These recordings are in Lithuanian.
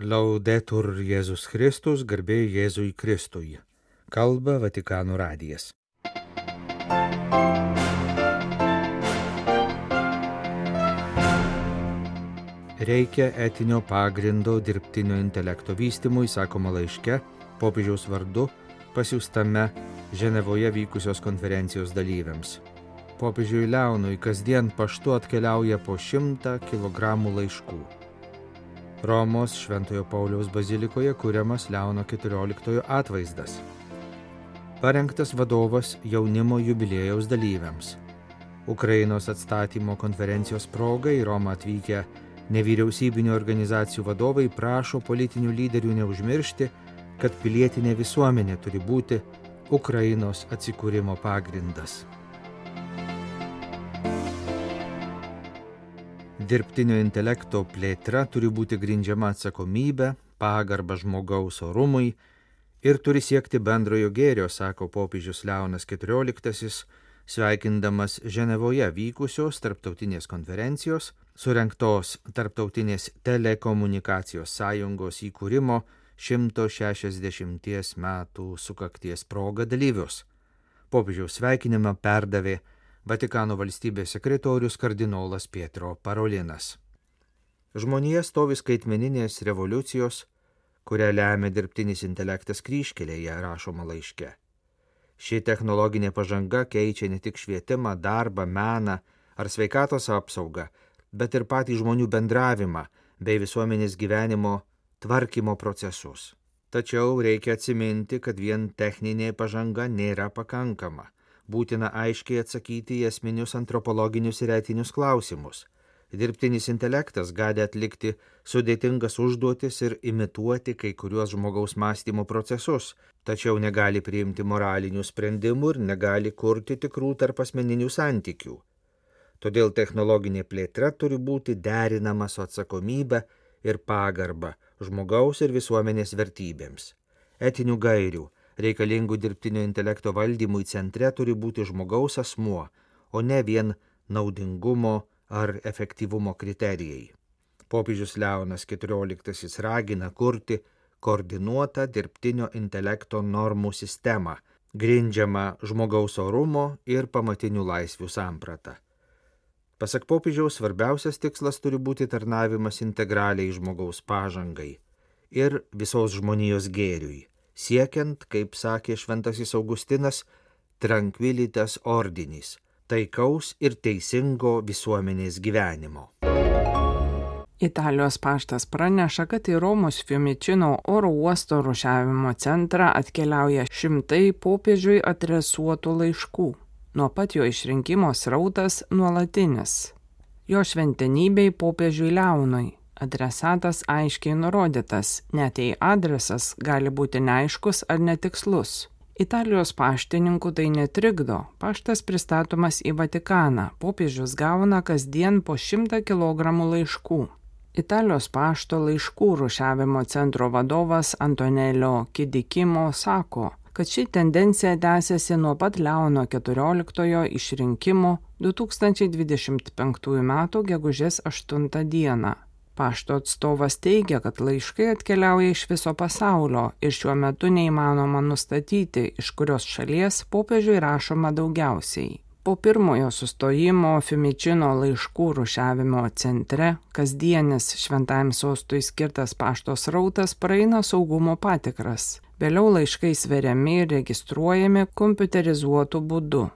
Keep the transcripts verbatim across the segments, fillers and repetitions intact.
Laudetur Jėzus Kristus, garbė Jėzui Kristui. Kalba Vatikano radijas. Reikia etinio pagrindo dirbtinio intelekto vystymui, sakoma laiške, popiežiaus vardu pasiųstame Ženevoje vykusios konferencijos dalyviams. Popiežiui Leonui kasdien paštu atkeliauja po šimtą kilogramų laiškų. Romos Šventojo Pauliaus bazilikoje kuriamas Leono keturioliktojo atvaizdas. Parengtas vadovas jaunimo jubiliejaus dalyviams. Ukrainos atstatymo konferencijos proga į Romą atvykę nevyriausybinių organizacijų vadovai prašo politinių lyderių neužmiršti, kad pilietinė visuomenė turi būti Ukrainos atsikūrimo pagrindas. Dirbtinio intelekto plėtra turi būti grindžiama atsakomybė, pagarba žmogaus orumui ir turi siekti bendrojo gėrio, sako popiežius Leonas keturioliktasis, sveikindamas Ženevoje vykusios tarptautinės konferencijos, surengtos Tarptautinės telekomunikacijos sąjungos įkūrimo šimto šešiasdešimties metų sukakties proga dalyvius. Popiežiaus sveikinimą perdavė Vatikano valstybės sekretorius kardinolas Pietro Parolinas. Žmonija stovi skaitmeninės revoliucijos, kurią lemia dirbtinis intelektas kryžkelėje, rašoma laiške. Ši technologinė pažanga keičia ne tik švietimą, darbą, meną ar sveikatos apsaugą, bet ir patį žmonių bendravimą bei visuomenės gyvenimo tvarkymo procesus. Tačiau reikia atsiminti, kad vien techninė pažanga nėra pakankama. Būtina aiškiai atsakyti į esminius antropologinius ir etinius klausimus. Dirbtinis intelektas gali atlikti sudėtingas užduotis ir imituoti kai kuriuos žmogaus mąstymo procesus, tačiau negali priimti moralinių sprendimų ir negali kurti tikrų tarpasmeninių santykių. Todėl technologinė plėtra turi būti derinama su atsakomybe ir pagarba žmogaus ir visuomenės vertybėms. Etinių gairių reikalingų dirbtinio intelekto valdymui centre turi būti žmogaus asmuo, o ne vien naudingumo ar efektyvumo kriterijai. Popiežius Leonas keturioliktasis ragina kurti koordinuotą dirbtinio intelekto normų sistemą, grindžiamą žmogaus orumo ir pamatinių laisvių sampratą. Pasak popiežiaus, svarbiausias tikslas turi būti tarnavimas integraliai žmogaus pažangai ir visos žmonijos gėriui, siekiant, kaip sakė šventasis Augustinas, tranquilitas ordinis, taikaus ir teisingo visuomenės gyvenimo. Italijos paštas praneša, kad į Romos Fiumicino oro uosto rūšiavimo centrą atkeliauja šimtai popiežiui adresuotų laiškų. Nuo pat jo išrinkimo srautas nuolatinis. Jo šventenybei popiežiui Leonui. Adresatas aiškiai nurodytas, net jei adresas gali būti neaiškus ar netikslus. Italijos paštininkų tai netrikdo, paštas pristatomas į Vatikaną, popiežius gauna kasdien po šimtą kilogramų laiškų. Italijos pašto laiškų rūšiavimo centro vadovas Antonelio Kidikimo sako, kad ši tendencija tęsiasi nuo pat Leono keturioliktojo išrinkimo du tūkstančiai dvidešimt penktųjų metų gegužės aštuntą dieną. Pašto atstovas teigia, kad laiškai atkeliauja iš viso pasaulio ir šiuo metu neįmanoma nustatyti, iš kurios šalies popiežiui rašoma daugiausiai. Po pirmojo sustojimo Fiumicino laiškų rūšiavimo centre kasdienis šventajam sostui skirtas pašto srautas praeina saugumo patikras. Vėliau laiškai sveriami ir registruojami kompiuterizuotu būdu.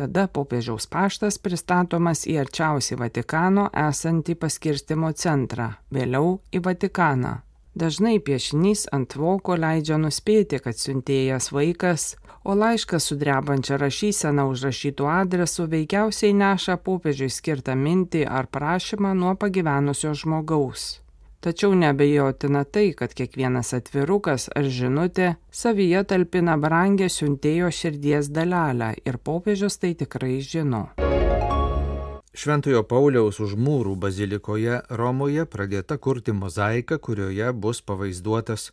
Tada popiežiaus paštas pristatomas į arčiausiai Vatikano esantį paskirstymo centrą, vėliau į Vatikaną. Dažnai piešinys ant voko leidžia nuspėti, kad siuntėjas vaikas, o laiškas su drebančia rašysena užrašytų adresu veikiausiai neša popiežiui skirtą mintį ar prašymą nuo pagyvenusio žmogaus. Tačiau neabejotina tai, kad kiekvienas atvirukas ar žinutė savyje talpina brangią siuntėjo širdies dalelę ir popiežius tai tikrai žino. Šventojo Pauliaus už mūrų bazilikoje Romoje pradėta kurti mozaika, kurioje bus pavaizduotas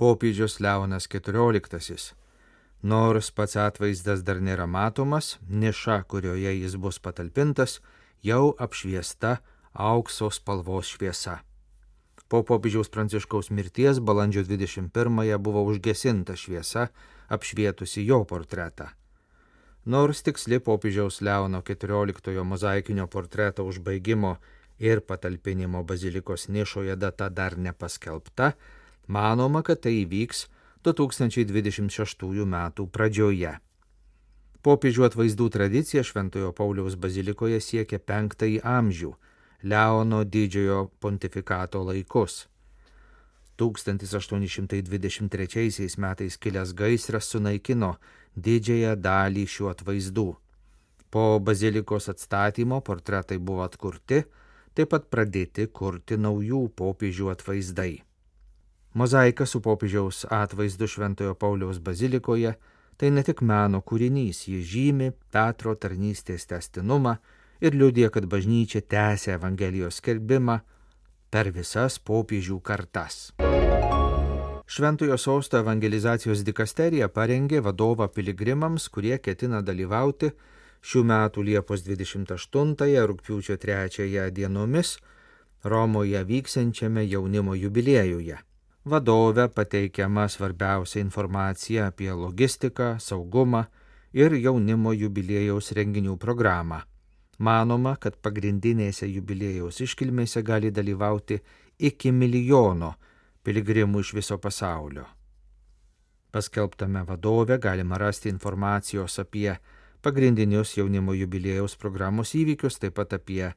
popiežius Leonas keturioliktasis. Nors pats atvaizdas dar nėra matomas, niša, kurioje jis bus patalpintas, jau apšviesta aukso spalvos šviesa. Po popiežiaus Pranciškaus mirties balandžio dvidešimt pirmąją buvo užgesinta šviesa, apšvietusi jo portretą. Nors tiksli popiežiaus Leono keturioliktojo mozaikinio portreto užbaigimo ir patalpinimo bazilikos nišoje data dar nepaskelbta, manoma, kad tai įvyks du tūkstančiai dvidešimt šeštųjų metų pradžioje. Popiežių atvaizdų tradicija Šventojo Pauliaus bazilikoje siekia penktąjį amžių, Leono didžiojo pontifikato laikus. tūkstantis aštuoni šimtai dvidešimt trečiaisiais metais kilęs gaisras sunaikino didžiąją dalį šių atvaizdų. Po bazilikos atstatymo portretai buvo atkurti, taip pat pradėti kurti naujų popiežių atvaizdai. Mozaika su popiežiaus atvaizdu Šventojo Pauliaus bazilikoje tai ne tik meno kūrinys, ji žymi Petro tarnystės tęstinumą ir liudija, kad bažnyčia tęsia Evangelijos skelbimą per visas popiežių kartas. Šventojo sosto evangelizacijos dikasterija parengė vadovą piligrimams, kurie ketina dalyvauti šių metų Liepos dvidešimt aštuntąją rugpjūčio trečiąją dienomis Romoje vyksiančiame jaunimo jubiliejuje. Vadove pateikiama svarbiausia informacija apie logistiką, saugumą ir jaunimo jubiliejaus renginių programą. Manoma, kad pagrindinėse jubiliejaus iškilmėse gali dalyvauti iki milijono piligrimų iš viso pasaulio. Paskelbtame vadove galima rasti informacijos apie pagrindinius jaunimo jubiliejaus programos įvykius, taip pat apie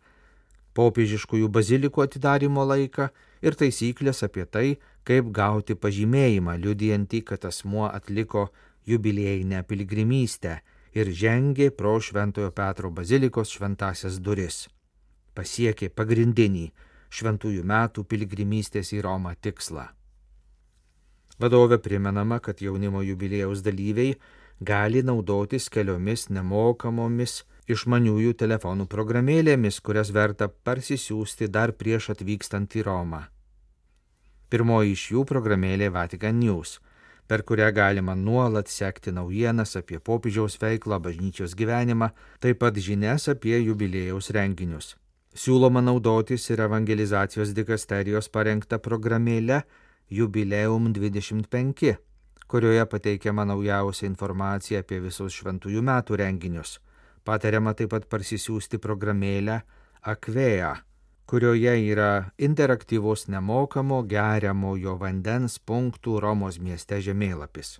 popiežiškųjų bazilikų atidarymo laiką ir taisyklės apie tai, kaip gauti pažymėjimą, liudijantį, kad asmuo atliko jubiliejinę piligrimystę ir žengė pro Šventojo Petro bazilikos šventąsias duris. Pasiekė pagrindinį šventųjų metų piligrimystės į Romą tikslą. Vadove primenama, kad jaunimo jubiliejaus dalyviai gali naudotis keliomis nemokamomis išmaniųjų telefonų programėlėmis, kurias verta parsisiųsti dar prieš atvykstant į Romą. Pirmoji iš jų programėlė Vatican News, per kurią galima nuolat sekti naujienas apie popiežiaus veiklą, bažnyčios gyvenimą, taip pat žinias apie jubiliejaus renginius. Siūloma naudotis ir evangelizacijos dikasterijos parengta programėlė Jubileum dvidešimt penki, kurioje pateikiama naujausia informacija apie visus šventųjų metų renginius. Patariama taip pat parsisiųsti programėlę Akvea, kurioje yra interaktyvus nemokamo geriamojo vandens punktų Romos mieste žemėlapis.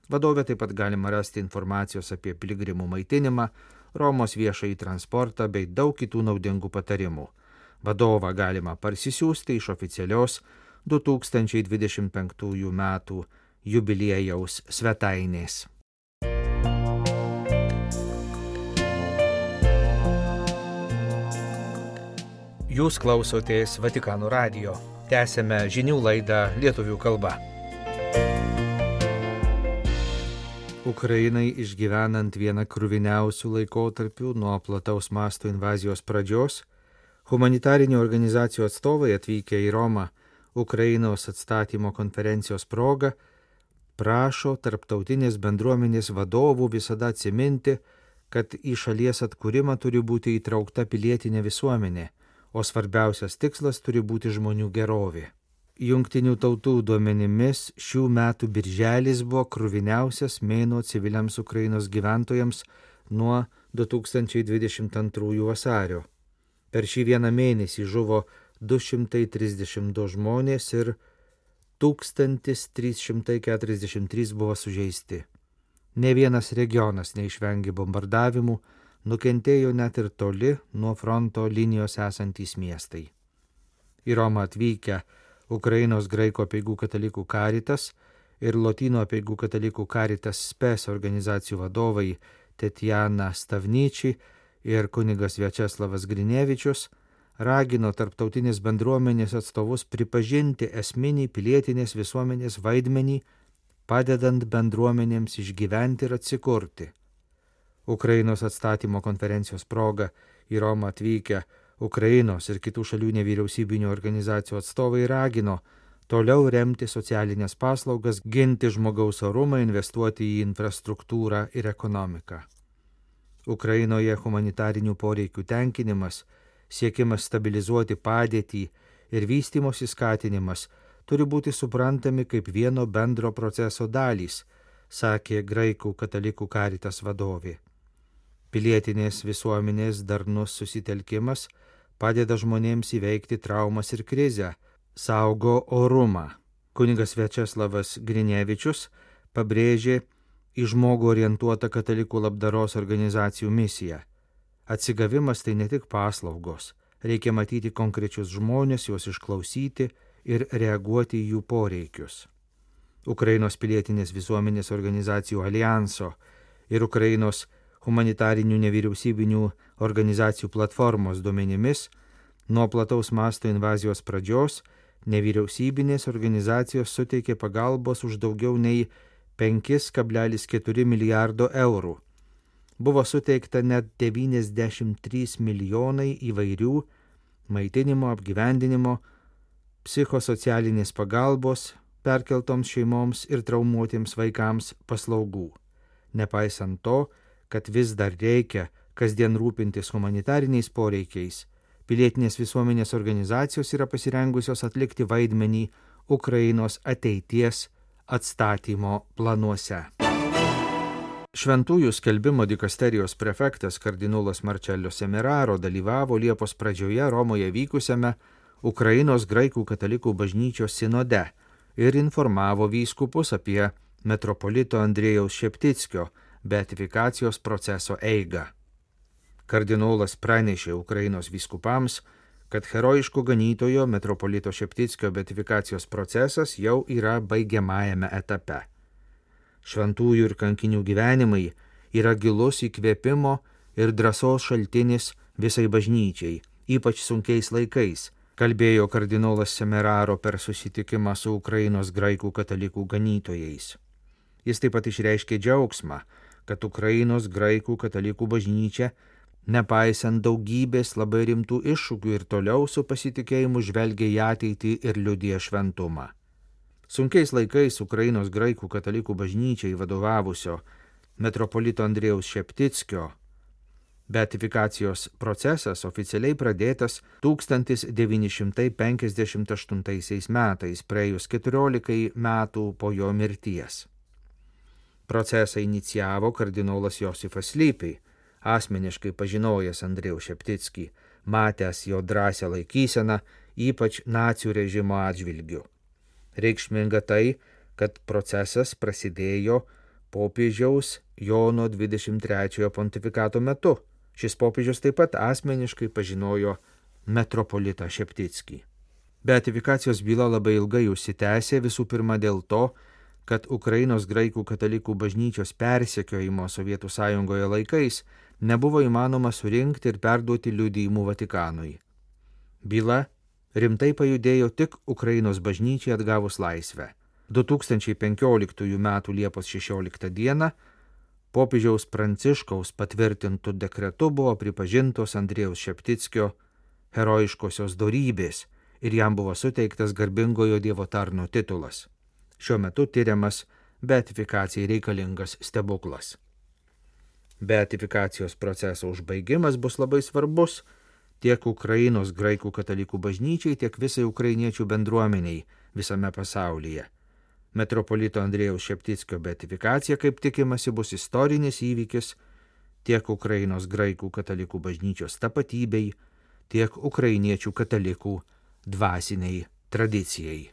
Vadove taip pat galima rasti informacijos apie piligrimų maitinimą, Romos viešąjį transportą bei daug kitų naudingų patarimų. Vadovą galima parsisiųsti iš oficialios du tūkstančiai dvidešimt penktųjų metų jubiliejaus svetainės. Jūs klausotės Vatikano radijo. Tęsėme žinių laidą lietuvių kalba. Ukrainai išgyvenant vieną kruviniausių laikotarpių nuo plataus masto invazijos pradžios, humanitarinių organizacijų atstovai atvykę į Romą Ukrainos atstatymo konferencijos proga prašo tarptautinės bendruomenės vadovų visada atsiminti, kad į šalies atkūrimą turi būti įtraukta pilietinė visuomenė, o svarbiausias tikslas turi būti žmonių gerovė. Jungtinių tautų duomenimis šių metų birželis buvo kruviniausias mėnuo civiliams Ukrainos gyventojams nuo du tūkstančiai dvidešimt antrųjų vasario. Per šį vieną mėnesį žuvo du šimtai trisdešimt du žmonės ir tūkstantis trys šimtai keturiasdešimt trys buvo sužeisti. Ne vienas regionas neišvengė bombardavimų, nukentėjo net ir toli nuo fronto linijos esantys miestai. Į Romą atvykę Ukrainos graikų apeigų katalikų Caritas ir Lotynų apeigų katalikų Caritas Spes organizacijų vadovai Tetjana Stavničiai ir kunigas Viačeslavas Grinevičius ragino tarptautinės bendruomenės atstovus pripažinti esminį pilietinės visuomenės vaidmenį, padedant bendruomenėms išgyventi ir atsikurti. Ukrainos atstatymo konferencijos proga į Romą atvykę Ukrainos ir kitų šalių nevyriausybinių organizacijų atstovai ragino toliau remti socialinės paslaugas, ginti žmogaus orumą, investuoti į infrastruktūrą ir ekonomiką. Ukrainoje humanitarinių poreikių tenkinimas, siekimas stabilizuoti padėtį ir vystymosi skatinimas turi būti suprantami kaip vieno bendro proceso dalys, sakė graikų katalikų Caritas vadovė. Pilietinės visuomenės darnus susitelkimas padeda žmonėms įveikti traumas ir krizę, saugo orumą. Kunigas Viačeslavas Grinevičius pabrėžė į žmogų orientuotą katalikų labdaros organizacijų misiją. Atsigavimas tai ne tik paslaugos, reikia matyti konkrečius žmonės, juos išklausyti ir reaguoti į jų poreikius. Ukrainos pilietinės visuomenės organizacijų alijanso ir Ukrainos humanitarinių nevyriausybinių organizacijų platformos duomenimis, nuo plataus masto invazijos pradžios nevyriausybinės organizacijos suteikė pagalbos už daugiau nei penki kablelis keturi milijardo eurų. Buvo suteikta net devyniasdešimt trys milijonai įvairių maitinimo, apgyvendinimo, psichosocialinės pagalbos perkeltoms šeimoms ir traumuotiems vaikams paslaugų. Nepaisant to, kad vis dar reikia kasdien rūpintis humanitariniais poreikiais, pilietinės visuomenės organizacijos yra pasirengusios atlikti vaidmenį Ukrainos ateities atstatymo planuose. Šventųjų skelbimo dikasterijos prefektas kardinolas Marcello Semeraro dalyvavo Liepos pradžioje Romoje vykusiame Ukrainos graikų katalikų bažnyčios sinode ir informavo vyskupus apie metropolito Andrėjaus Šeptickio beatifikacijos proceso eigą. Kardinolas pranešė Ukrainos vyskupams, kad herojiško ganytojo metropolito Šeptickio beatifikacijos procesas jau yra baigiamajame etape. Šventųjų ir kankinių gyvenimai yra gilus įkvėpimo ir drąsos šaltinis visai bažnyčiai, ypač sunkiais laikais, kalbėjo kardinolas Semeraro per susitikimą su Ukrainos graikų katalikų ganytojais. Jis taip pat išreiškė džiaugsmą, kad Ukrainos graikų katalikų bažnyčia, nepaisant daugybės labai rimtų iššūkių ir toliau su pasitikėjimu žvelgia į ateitį ir liudija šventumą. Sunkiais laikais Ukrainos graikų katalikų bažnyčiai vadovavusio metropolito Andrėjaus Šeptickio beatifikacijos procesas oficialiai pradėtas tūkstantis devyni šimtai penkiasdešimt aštuntaisiais metais, praėjus keturiolikai metų po jo mirties. Procesą inicijavo kardinolas Josifas Lypiai, asmeniškai pažinojęs Andrėjaus Šeptickį, matęs jo drąsią laikyseną, ypač nacių režimo atžvilgiu. Reikšminga tai, kad procesas prasidėjo popiežiaus Jono dvidešimt trečiojo pontifikato metu. Šis popiežius taip pat asmeniškai pažinojo metropolitą Šeptickį. Beatifikacijos byla labai ilgai užsitęsė, visų pirma dėl to, kad Ukrainos graikų katalikų bažnyčios persekiojimo Sovietų sąjungoje laikais nebuvo įmanoma surinkti ir perduoti liudijimų Vatikanui. Byla rimtai pajudėjo tik Ukrainos bažnyčiai atgavus laisvę. du tūkstančiai penkioliktųjų metų Liepos šešioliktą dieną popiežiaus Pranciškaus patvirtintų dekretu buvo pripažintos Andrėjaus Šeptickio herojiškosios dorybės ir jam buvo suteiktas garbingojo Dievo tarno titulas. Šiuo metu tyriamas beatifikacijai reikalingas stebuklas. Beatifikacijos proceso užbaigimas bus labai svarbus tiek Ukrainos graikų katalikų bažnyčiai, tiek visai ukrainiečių bendruomeniai visame pasaulyje. Metropolito Andrėjaus Šeptickio beatifikacija, kaip tikimasi, bus istorinis įvykis tiek Ukrainos graikų katalikų bažnyčios tapatybei, tiek ukrainiečių katalikų dvasiniai tradicijai.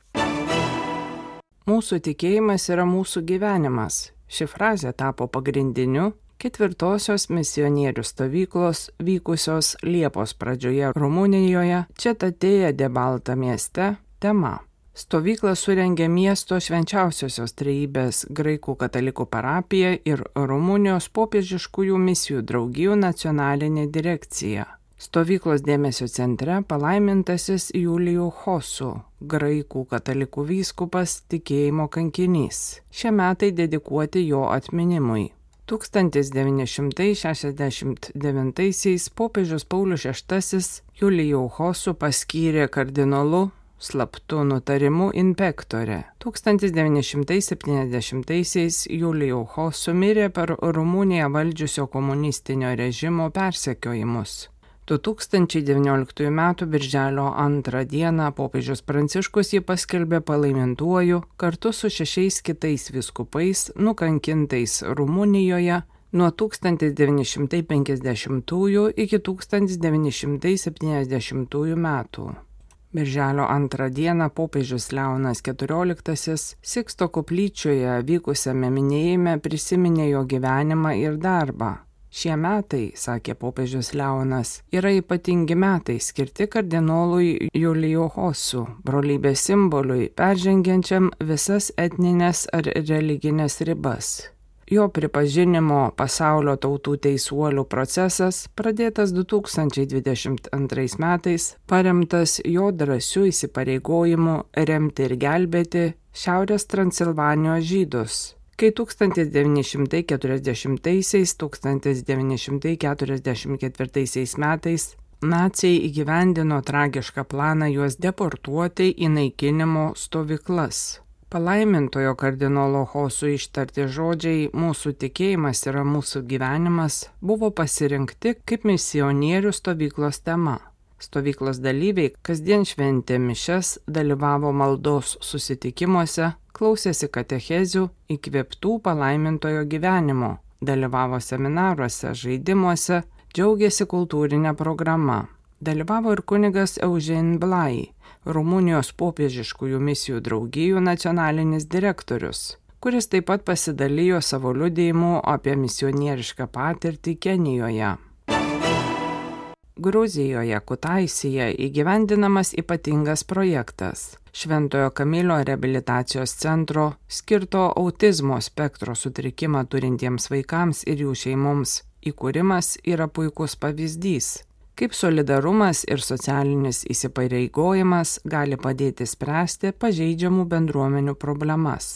Mūsų tikėjimas yra mūsų gyvenimas. Ši frazė tapo pagrindiniu ketvirtosios misionierių stovyklos vykusios Liepos pradžioje Rumunijoje, Cetatėje de Balta mieste tema. Stovyklą surengė miesto švenčiausiosios trejybės graikų katalikų parapija ir Rumunijos popiežiškųjų misijų draugijų nacionalinė direkcija. Stovyklos dėmesio centre palaimintasis Julijų Hosu, graikų katalikų vyskupas, tikėjimo kankinys. Šie metai dedikuoti jo atminimui. tūkstantis devyni šimtai šešiasdešimt devintaisiais popiežius Paulius šeštasis Julijų Hosu paskyrė kardinolu slaptu nutarimu inpektore. tūkstantis devyni šimtai septyniasdešimtaisiais Julijų Hosu mirė per Rumuniją valdžiusio komunistinio režimo persekiojimus. du tūkstančiai devynioliktųjų metų birželio antrą dieną popiežius Pranciškus jį paskelbė palaimintuoju kartu su šešiais kitais vyskupais nukankintais Rumunijoje nuo tūkstantis devyni šimtai penkiasdešimtųjų iki tūkstantis devyni šimtai septyniasdešimtųjų metų. Birželio antrą dieną popiežius Leonas keturioliktasis Siksto koplyčioje vykusiame minėjime prisiminė jo gyvenimą ir darbą. Šie metai, sakė popiežius Leonas, yra ypatingi metai skirti kardinolui Julijo Hosu, brolybės simboliui, peržengiančiam visas etninės ar religinės ribas. Jo pripažinimo pasaulio tautų teisuolių procesas, pradėtas du tūkstančiai dvidešimt antrais metais, paremtas jo drąsiu įsipareigojimu remti ir gelbėti Šiaurės Transilvanijos žydus. Kai tūkstantis devyni šimtai keturiasdešimtaisiais - tūkstantis devyni šimtai keturiasdešimt ketvirtaisiais metais naciai įgyvendino tragišką planą juos deportuoti į naikinimo stovyklas. Palaimintojo kardinolo Hosu ištarti žodžiai "mūsų tikėjimas yra mūsų gyvenimas" buvo pasirinkti kaip misionierių stovyklos tema. Stovyklos dalyviai kasdien šventė mišias, dalyvavo maldos susitikimuose, klausėsi katechezių įkvėptų palaimintojo gyvenimo, dalyvavo seminaruose, žaidimuose, džiaugėsi kultūrinė programa. Dalyvavo ir kunigas Eugen Blai, Rumunijos popiežiškųjų misijų draugijų nacionalinis direktorius, kuris taip pat pasidalijo savo liudijimu apie misionierišką patirtį Kenijoje. Gruzijoje, Kutaisije įgyvendinamas ypatingas projektas – Šventojo Kamilio reabilitacijos centro skirto autizmo spektro sutrikimą turintiems vaikams ir jų šeimoms įkūrimas yra puikus pavyzdys, kaip solidarumas ir socialinis įsipareigojimas gali padėti spręsti pažeidžiamų bendruomenių problemas.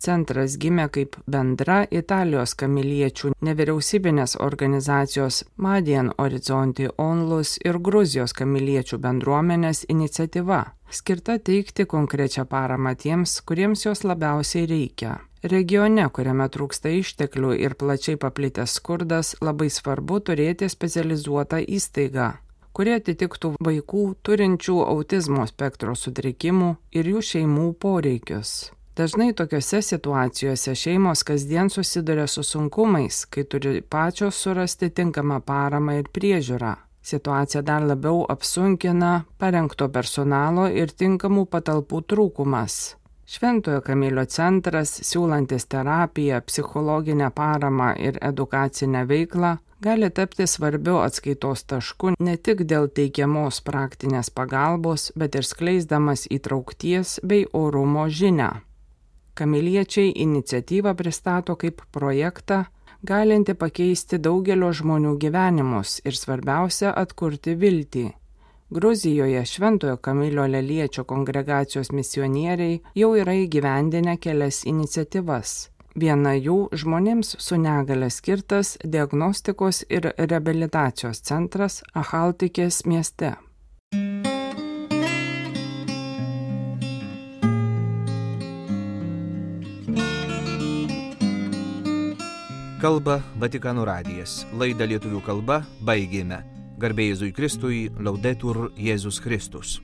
Centras gimė kaip bendra Italijos kamiliečių nevyriausybinės organizacijos Madien Orizzonti Onlus ir Gruzijos kamiliečių bendruomenės iniciatyva, skirta teikti konkrečią paramą tiems, kuriems jos labiausiai reikia. Regione, kuriame trūksta išteklių ir plačiai paplitęs skurdas, labai svarbu turėti specializuotą įstaigą, kurie atitiktų vaikų turinčių autizmo spektro sutrikimų ir jų šeimų poreikius. Dažnai tokiose situacijose šeimos kasdien susiduria su sunkumais, kai turi pačios surasti tinkamą paramą ir priežiūrą. Situaciją dar labiau apsunkina parengto personalo ir tinkamų patalpų trūkumas. Šventojo Kamilio centras, siūlantis terapiją, psichologinę paramą ir edukacinę veiklą, gali tapti svarbiu atskaitos tašku ne tik dėl teikiamos praktinės pagalbos, bet ir skleisdamas įtraukties bei orumo žinią. Kamiliečiai iniciatyvą pristato kaip projektą, galinti pakeisti daugelio žmonių gyvenimus ir svarbiausia atkurti viltį. Gruzijoje Šventojo Kamilio Leliečio kongregacijos misionieriai jau yra įgyvendinę kelias iniciatyvas. Viena jų žmonėms su negale skirtas diagnostikos ir reabilitacijos centras Achaltikės mieste. Kalba Vatikano radijas. Laidą lietuvių kalba baigėme. Garbė Jėzui Kristui, Laudetur Jėzus Kristus.